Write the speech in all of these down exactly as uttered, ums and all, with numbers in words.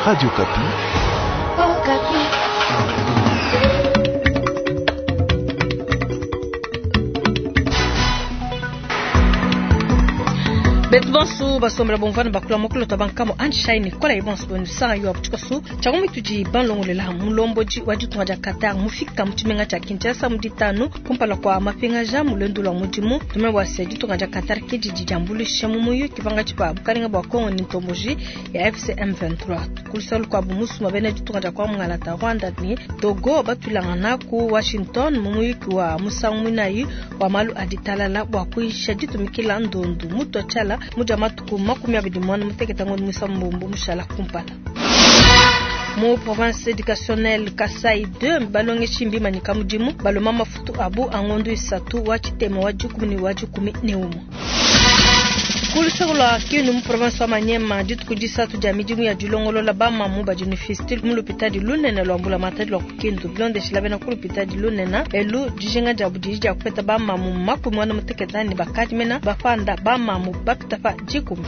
Radio Okapi. Okapi. Betu bonso basombela bomvana bakula mokolo to bankamo anshine kola ibonso bonu sanga yo abutukosu changu mituji banlongolela mulomboji wa ditunga dia Qatar mufika mu tshimenga tshia Kinshasa mu ditanu kumpala kwa mapingaja mu lwendu lwa mudimu tume bua se ditunga dia Qatar ke didi diambuluisha mu muyuki pangatshi pa bukalenga bua Kongo ni ntomboji ya A F C M vingt-trois kulusalo kwa bumusuma bena ditunga dia kwa Mungalata Rwanda ni Togo batulangana ku Washington mu muyuki wa musangu muinayi wa malu a ditalala bua kuisha ditumikila ndondu mutu tshala muja matuku makumi abidi mwana muteketa ngondo musambombo mushala kumpala. Mu province éducationnelle Kasai deux balongeshi mbimanyika mudimu baloma mafutu abu angondo isatu wa tshitema wa dikumi ne wa dikumi ne umue. Kuluseko lwa Kindu mu province wa Maniema dituku disatu dia midimu ya dilongolola bamamu badi ne fistule mu lupitadi lunene lwa mbulamatadi lwa ku Kindu bilondeshila bena ku lupitadi lunene elu dijinga dia budidi dia kupeta bamamu makumi muanda mutekete ne bakadi mena bapanda bamamu bapita pa dikumi.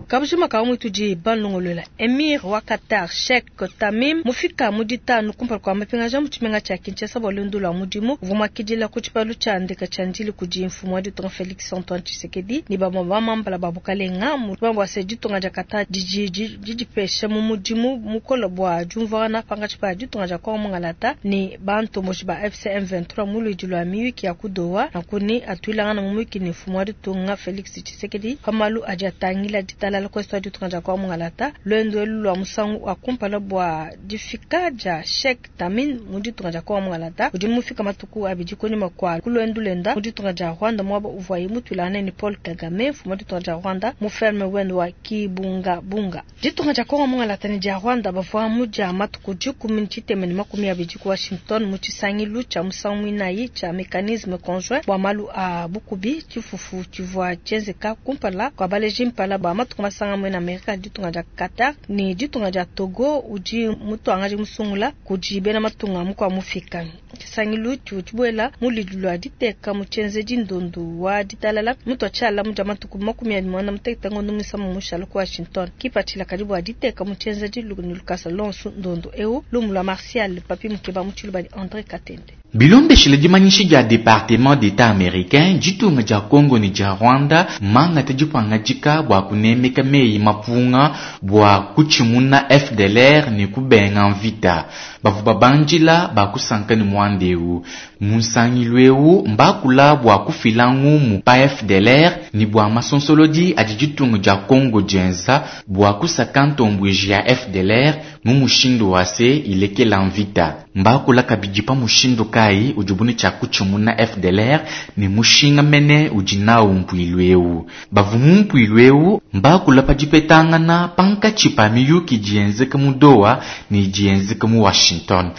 Kabujima ka mwituji banlongolola Emir wa Qatar Sheikh Tamim mufika mu ditanu kumpala kwa mapingaja mu tshimenga tshia Kinshasa bua luendu lwa mudimu uvua muakidila ku tshipalu tshia ndeka tshia ndili kudi mfumu wa ditunga Felix Antoine Tshisekedi ne bamue bamambala ba bukalenga mu bua se ditunga dia Qatar didi didipesha mu mudimu mukole bua diumvuangana pangatshi pa ditunga dia Kongo Mungalata ne bantomboji ba A F C M vingt-trois mu luidi lua miyuki ya ku Doha nakuni atuilangana mu muyuki ne mfumu wa ditunga Felix Tshisekedi pa malu adi atangila ditalala kwesta ditunga dia Kongo Mungalata lwendo elu lwa musangu wa kumpala bua difika dia Sheikh Tamim mu ditunga dia Kongo Mungalata udi mufika matuku abidi kunyima kwa kulwendo lenda mu ditunga dia Rwanda mwaba uvuaye mutuilane ni Paul Kagame mfumu wa ditunga dia Rwanda mu ferme wendo wa Kibunga Bunga. Ditunga dia Kongo Mungalata ne dia Rwanda bavua mu dia matuku dikumi ne tshitema ne makumi abidi ku Washington mu tshisangilu tshia musangu muinayi tshia mécanisme conjoint bua malu a bukubi tshifufu tshivua tshienzeka kumpala kwa baleji mpala ba matuku masanga mwena Amerika ditunga dia Qatar ni ditunga dia Togo udi mutuangaji musungula kudi bena matunga mukwa mufika. Tshisangilu tshibuela mu lidi lwa diteka mu tshienzedi ndondu wa ditalala mutu atshala mu dia matuku makumi abidi muanda mutekete ngondo muisamba mushala ku Washington kipatshila kadi bua diteka mu tshienzedi ne lukasa lonso ndondu eu lumu lwa Martial Papi Mukeba mu tshiluba di André Katende. Bilondeshile dimanyishi dia Département d'État américain ditunga dia Congo ne dia Rwanda mangata dipangajika bua kunemeka meyi mapunga bua kutshimuna F D L R ne kubenga mvita. Bavua babanjila bakusanka ne mwandeu. Munsangilu eu mbakula bua kufila ngumu pa F D L R ne bua masonsolodi adi ditunga dia Congo dienza bua kusaka ntombweji ya F D L R mu mushindu wa se ilekela mvita. Mbakula kabidi pa mushindu kai ujubuni cha kutshimuna F D L R ne mushinga mene udi nawu mpuilu eu. Bavua mu mpuilu eu mbakula pa dipetangana pankatshi pa miyuki dienzeka mu Doha ne dienzeka mu Washington.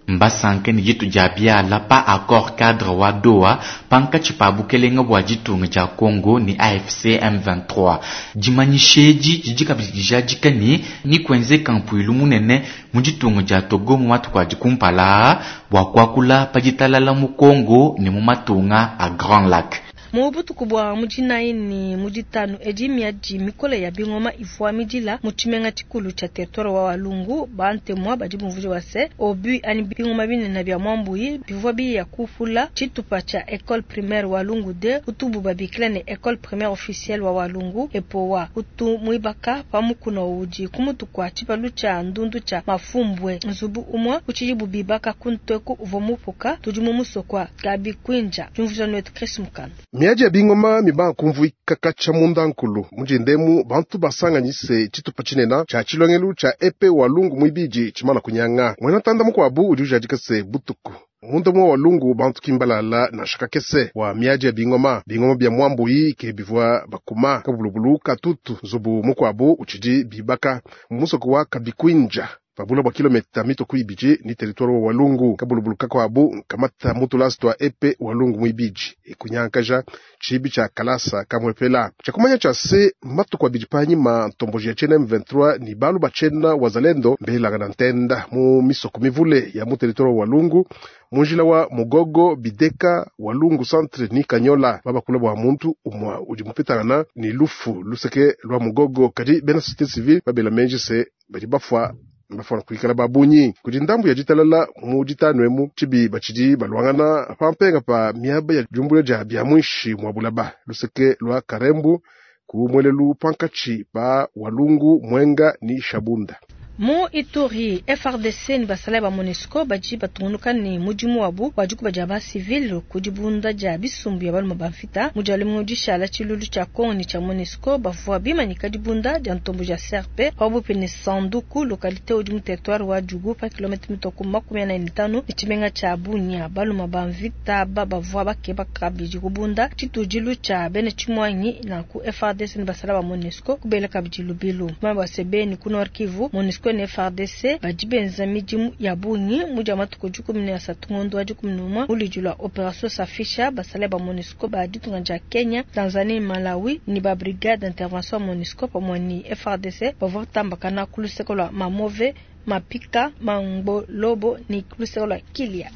Mbasanke ne ditu dia biala pa accord cadre wa Doha pankatshi pa bukelenga bua ditunga dia Congo ne A F C M vingt-trois. Dimanyishedi didi kabidi dijadika ne ni kuenzeka mpuilu munene mu ditunga dia Togo mu matuku adi kumpala bua kuakula pa ditalala mu Congo ne mu matunga a Grand Lac. Mu butuku bua mudinayi ne muditanu edi miadi mikole ya bingoma ivua midila mu tshimenga tshikulu tshia territoire wa Walungu bantemwa badi bumvuija wa se obu ani bingoma binene bia mwambuyi bivua biya kufula tshitupa tshia école primaire Walungu deux utubu babikila ne école primaire officielle wa Walungu epowa utu muibaka pamukuna udi kumutu kwa tshipalu tshia ndundu tshia mafumbwe nzubu umwe utshidi bibaka kunteku uvua mupuka tudi mu musokwa Kabikwinja tumvuija netu Chris Mukanda. Miadi ya bingoma miba kumvuika kacha munda nkulu mujindemu bantu basanganyise tshitupa tshinena tshia tshilongelu tshia epe Walungu muibidi tshimana kunyanga mwena tanda mukuabu udi ujadika se butuku munda mwa Walungu bantu kimbalala na shakakese wa miadi ya bingoma bingoma bia mwambuyi ke bivua bakuma kabulubulu katutu nzubu mukuabu utshidi bibaka musoko wa Kabikwinja Pabula bwa kilomita mito ibidi ni territoire wa Walungu kabulubulu kakwabu kamata mutulasi twa epe Walungu mwibidi ekunyankaja chibi cha kalasa kamwepela chakumanya cha se matuku abidi panyima ntomboji ya chena M vingt-trois ni balu bachena wazalendo mbelanga na ntenda mu misoko mivule ya mu territoire wa Walungu munjila wa Mugogo Bideka Walungu centre ni Kanyola babakula bwa muntu umwa udi mupitana ni lufu luseke lwa Mugogo kadi bena société civile babela menji se badi bafwa mbafana kuikala babunyi kudi ndambu ya jitalala mu jitano emu chibi bachidi balwangana pampenga pa miaba ya jumbule ja bya mwishi mwa bulaba luseke lwa Karembu kumwelelu pankachi pa Walungu Mwenga ni Shabunda. Mu Ituri F R D C ni basala ba MONUSCO baji batungunuka ni mudimu wabu wajuku baja ba civil kudibunda ja bisumbu ya baluma bamfita mujali mudishala chilulu cha Kongo ni cha MONUSCO bavua bimanyika dibunda dia ntombo ja C R P pabupi ni Sanduku localité udi mu territoire wa Djugu pa kilomita mitoko makumi ane na tano ni chimenga cha Bunia baluma bamvita ba bavua bakeba kabidi kubunda chitujilu cha bene chimwanyi na ku F R D C ni basala ba MONUSCO kubela kabidi lubilu mamba sebeni ku Nord Kivu MONUSCO ne F R D C bajibenza midimu ya bungi muja matuku jukumi na asatu ngondo wa jukumi numa ulijula operation safisha basale ba MONUSCO ba ditunga ja Kenya, Tanzania, Malawi ni ba brigade d'intervention MONUSCO pamwe ni F R D C bavua tambakana kuluseko lwa Mamove, Mapika, Mangolobo ni kuluseko lwa Kilia.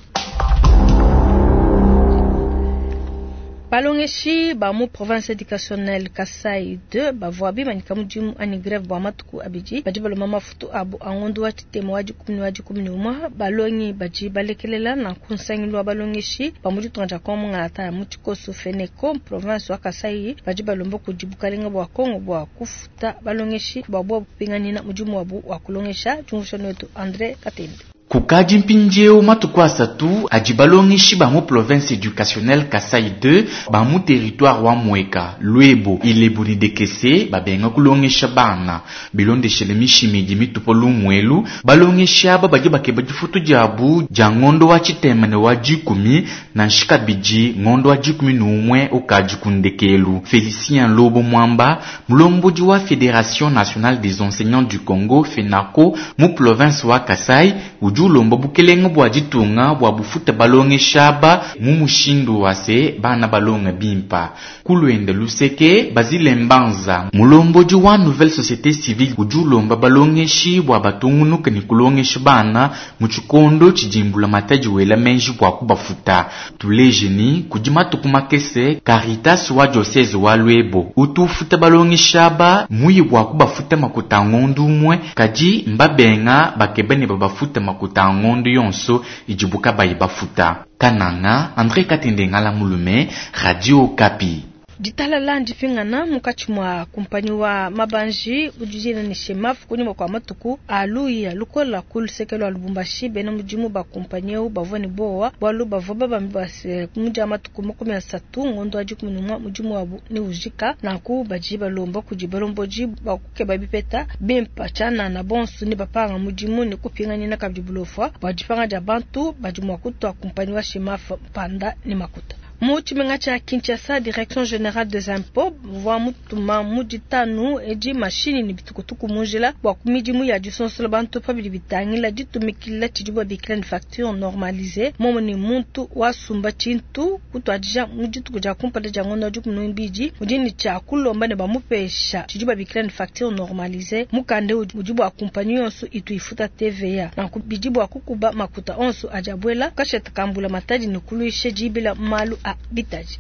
Balongeshi ba mu province éducationnelle Kasai deux bavua bimanyika mudimu ani grève bwa matuku abidi badi baloma mafutu abu angondo wa tshitema wa dikumi wa dikumi ne umwe balongi badi balekelela na kunsangilu wa balongeshi ba mu ditunga dia Kongo ngata ya mu tshikoso Feneco province wa Kasai badi balomba kudi bukalenga bwa Kongo bwa kufuta balongeshi babwa kupinganina mudimu wabu wa kulongesha tshungushano wetu André Katembe. Kukadi mpindieu matuku asatu adi balongeshi ba mu province éducationnelle Kasai deux ba mu territoire wa Mweka Lwebo Ilebo ni Dekese babenga kulongesha bana bilondeshele mishimidi mitupo lumwelu balongesha aba badi bakeba difutu diabu dia ngondo wa tshitemene wa dikumi na nshikabidi ngondo wa dikumi numwe ukadi kundekelu. Félicien Lobo Mwamba mulombodi wa Fédération nationale des enseignants du Congo FENACO mu province wa Kasai udi ulomba bukelenge bwa ditunga bwa bufuta balongesha ba mu mushindu wase bana balonga bimpa kulwenda luseke Bazile Mbanza mulombodi wa nouvelle société civile udi ulomba balongeshi bwa batungunuka ni kulongesha bana mu tshikondo tshidimbula matadi wela menji bwa kubafuta tulejeni kudi matuku makese Caritas wa diocèse wa Lwebo utufuta balongesha ba muyi bwa kubafuta makuta ngondu umwe kadi mbabenga bakebene babafuta makuta ngondo yonso ijibuka bayibafuta. Kananga André Katende Ngala Mulume, Radio Okapi. Ditalala ndipingana mukachi mwa kumpanyi wa mabanji ujijina ni Shemaf kunyuma kwa matuku aluya lukola kulusekelo wa Lubumbashi bena mudimu ba kumpanyi eu bavua ni bowa bwalu bavua babambi base muja matuku makumi asatu ngondo wa dikumi numwa mudimu wabu ni ujika nanku baji balomba kudi balomboji bakukeba bipeta bimpa tshana na bonsu ni bapanga mudimu ni kupinganyina kabidi bulofwa bwa dipanga dia bantu badi mua kutua kumpanyi wa Shemaf mpanda ni makuta. Mu tshimenga tsha Kinshasa, direction générale des impôts vwa mutuma muditanu edi mashini ni bitukutuku munjila bwa kumidimu ya disonsola bantu pabidi bitangila ditumikila tshidi bikila ni facture normalisée momo ni muntu wasumba tshintu kutwadija mudituku dia kumpala dia ngondo dikumi mbidi mudini tsha kulomba ne bamupesha tshidi bikila ni facture normalisée mukande udi bwa kumpanyi yonso itu ifuta T V A nanku bidi bwa kukuba makuta onso ajabwela kasheta kambula matadi ni kuluishe jibila malu a bitaji.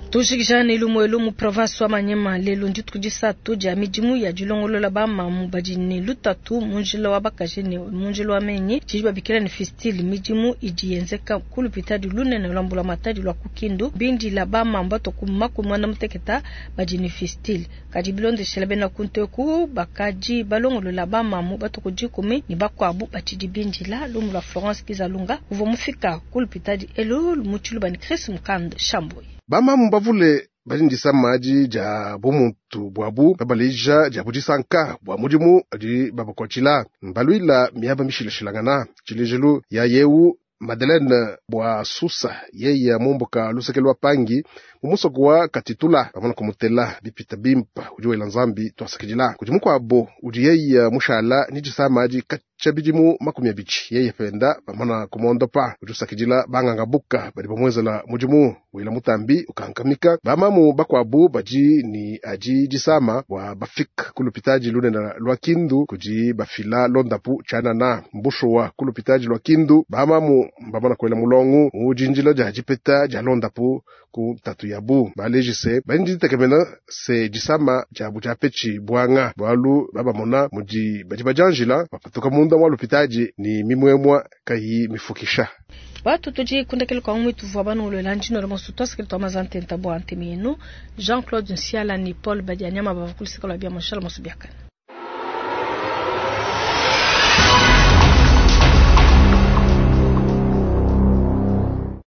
Tushikishana ilumu elumu province wa Manyema lelo ndituku disatu dia midimu ya dilongolola ba mamu badi ne lutatu munjila wa bakaji ne munjila wa menyi tshidi babikila ne fistile midimu idi yenzeka ku lupitadi lunene lwa mbula matadi lwa kukindu bindila ba mamu batoku makumi muanda muteketa badi ne fistile kadi bilondeshela bena kunteku bakaji balongolola ba mamu batoku dikumi ne bakuabu batshidi bindila lumu lwa Florence Kizalunga uvua mufika ku lupitadi elu mu tshiluba ne Chris Mukand Shamboyi. Bamamu bavule bali maji ja bumuntu bwabu babalija ja budisanka bwa mudimu adi babakwatshila mbalwila miaba mishilashilangana tshilejelu ya yewu Madeleine bwa susa yeye mumbuka luseke lwa pangi mumusoko wa katitula bamana kumutela bipita bimpa udi wela nzambi twasakidila kudi mukwabo udi yeye mushala ni disama adi katshia bidimu makumi abidi yeye penda bamana kumondopa udi usakidila banganga buka badi bamwenzela mudimu wila mutambi ukankamika bamamu bakwabu badi ni adi disama bwa bafika kulupitaji lunene lwa kindu kudi bafila londapu tshianana mbushuwa kulupitaji lwa kindu bamamu mbamana kwela mulongu mujinjila dia dipeta dia londapu ku tatu yabu balejise badi ditekemena se disama diabu diapetshi bwanga bwalu babamona mudi badi badianjila bapatuka munda mwa lupitaji ni mimwemwa kayi mifukisha Watu tudi kundekele kwa mwitu vwa banu ulola njino la mosu twasikili twa mazante ntabu antemi yenu Jean-Claude Nsiala ni Paul Badianyama bavukulisika lwa bia moshala mosu biakana.